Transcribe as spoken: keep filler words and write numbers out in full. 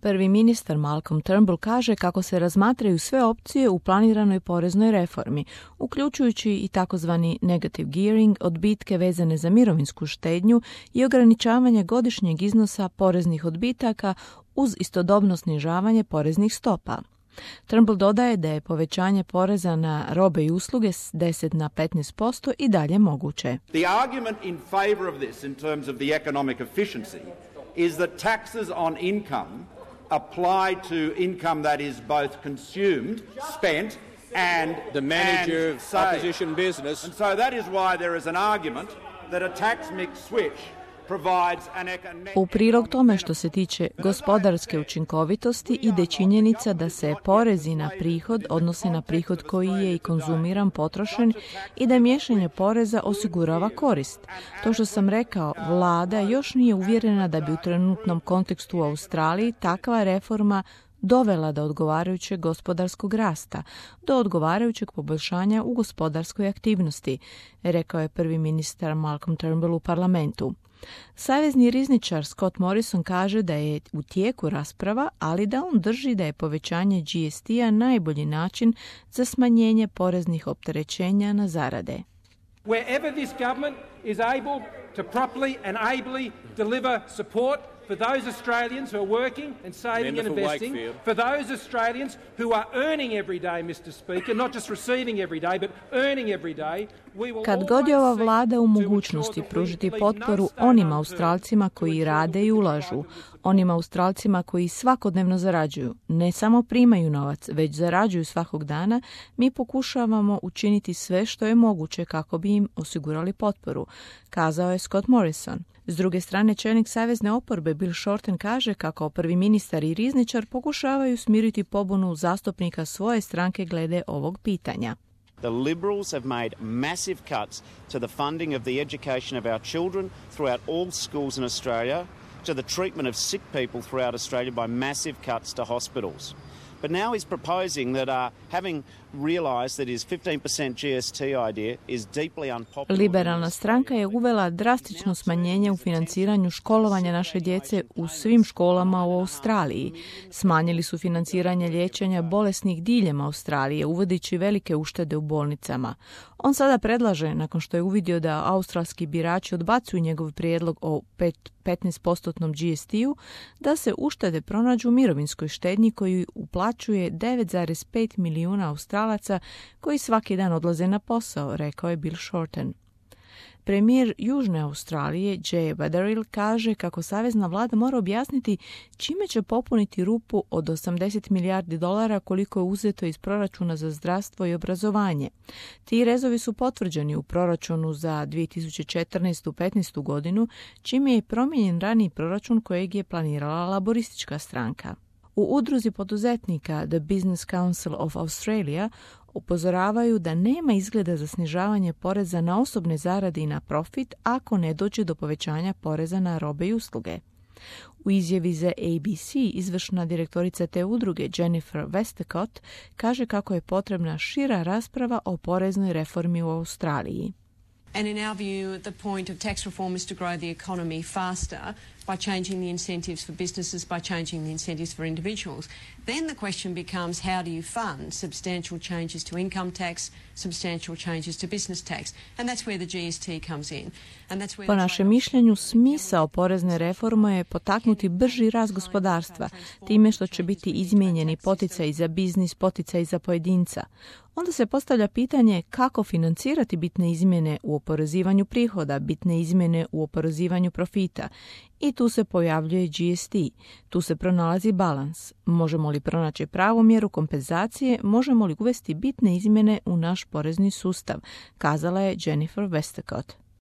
Prvi ministar Malcolm Turnbull kaže kako se razmatraju sve opcije u planiranoj poreznoj reformi, uključujući i takozvani negative gearing, odbitke vezane za mirovinsku štednju i ograničavanje godišnjeg iznosa poreznih odbitaka uz istodobno snižavanje poreznih stopa. Turnbull dodaje da je povećanje poreza na robe i usluge s deset na petnaest posto i dalje moguće. The argument in favor of this in terms of the economic efficiency is that taxes on income apply to income that is both consumed, spent, and the manager and of opposition business. And so that is why there is an argument that a tax mix switch provides an economic... U prilog tome što se tiče gospodarske učinkovitosti ide činjenica da se porezi na prihod odnose na prihod koji je i konzumiran, potrošen i da miješanje poreza osigurava korist. To što sam rekao, vlada još nije uvjerena da bi u trenutnom kontekstu u Australiji takva reforma dovela do odgovarajućeg gospodarskog rasta, do odgovarajućeg poboljšanja u gospodarskoj aktivnosti, rekao je prvi ministar Malcolm Turnbull u parlamentu. Savezni rizničar Scott Morrison kaže da je u tijeku rasprava, ali da on drži da je povećanje G S T-a najbolji način za smanjenje poreznih opterećenja na zarade. Wherever this government is able to properly and ably deliver support for those Australians who are working and saving and investing, for those Australians who are earning every day, Mister Speaker, not just receiving every day, but earning every day, we will Kad god je ova vlada u mogućnosti pružiti potporu onim Australcima koji rade i ulažu, onim Australcima koji svakodnevno zarađuju, ne samo primaju novac, već zarađuju svakog dana, mi pokušavamo učiniti sve što je moguće kako bi im osigurali potporu, kazao je Scott Morrison. S druge strane, čelnik savezne oporbe Bill Shorten kaže kako prvi ministar i rizničar pokušavaju smiriti pobunu zastupnika svoje stranke glede ovog pitanja. The Liberals have made massive cuts to the funding of the education of our children throughout all schools in Australia, to the treatment of sick people throughout Australia by massive cuts to hospitals. But now he's proposing that uh, having realised that his fifteen percent G S T idea is deeply unpopular. Liberalna stranka je uvela drastično smanjenje u financiranju školovanja naše djece u svim školama u Australiji. Smanjili su financiranje liječenja bolesnih diljem Australije, uvodeći velike uštede u bolnicama. On sada predlaže, nakon što je uvidio da australski birači odbacuju njegov prijedlog o petnaest posto G S T-u, da se uštede pronađu u mirovinskoj štednji koju uplaćuje devet zarez pet milijuna Australaca koji svaki dan odlaze na posao, rekao je Bill Shorten. Premijer Južne Australije Jay Badaril kaže kako savezna vlada mora objasniti čime će popuniti rupu od osamdeset milijardi dolara koliko je uzeto iz proračuna za zdravstvo i obrazovanje. Ti rezovi su potvrđeni u proračunu za dvije tisuće četrnaestu petnaestu godinu, čime je promijenjen raniji proračun kojeg je planirala laboristička stranka. U udruzi poduzetnika The Business Council of Australia upozoravaju da nema izgleda za snižavanje poreza na osobne zarade i na profit ako ne dođe do povećanja poreza na robe i usluge. U izjavi za A B C izvršna direktorica te udruge Jennifer Westacott kaže kako je potrebna šira rasprava o poreznoj reformi u Australiji. And in our view, the point of tax reform is to grow the economy faster by changing the incentives for businesses, by changing the incentives for individuals. Then the question becomes, how do you fund substantial changes to income tax, substantial changes to business tax? And that's where the G S T comes in. And that's where po našem mišljenju, smisao porezne reforme je potaknuti brži rast gospodarstva, time što će biti izmijenjeni poticaji za biznis, poticaji za pojedinca. Onda se postavlja pitanje kako financirati bitne izmjene u oporezivanju prihoda, bitne izmjene u oporezivanju profita. I tu se pojavljuje G S T. Tu se pronalazi balans. Možemo li pronaći pravu mjeru kompenzacije, možemo li uvesti bitne izmjene u naš porezni sustav, kazala je Jennifer Westacott.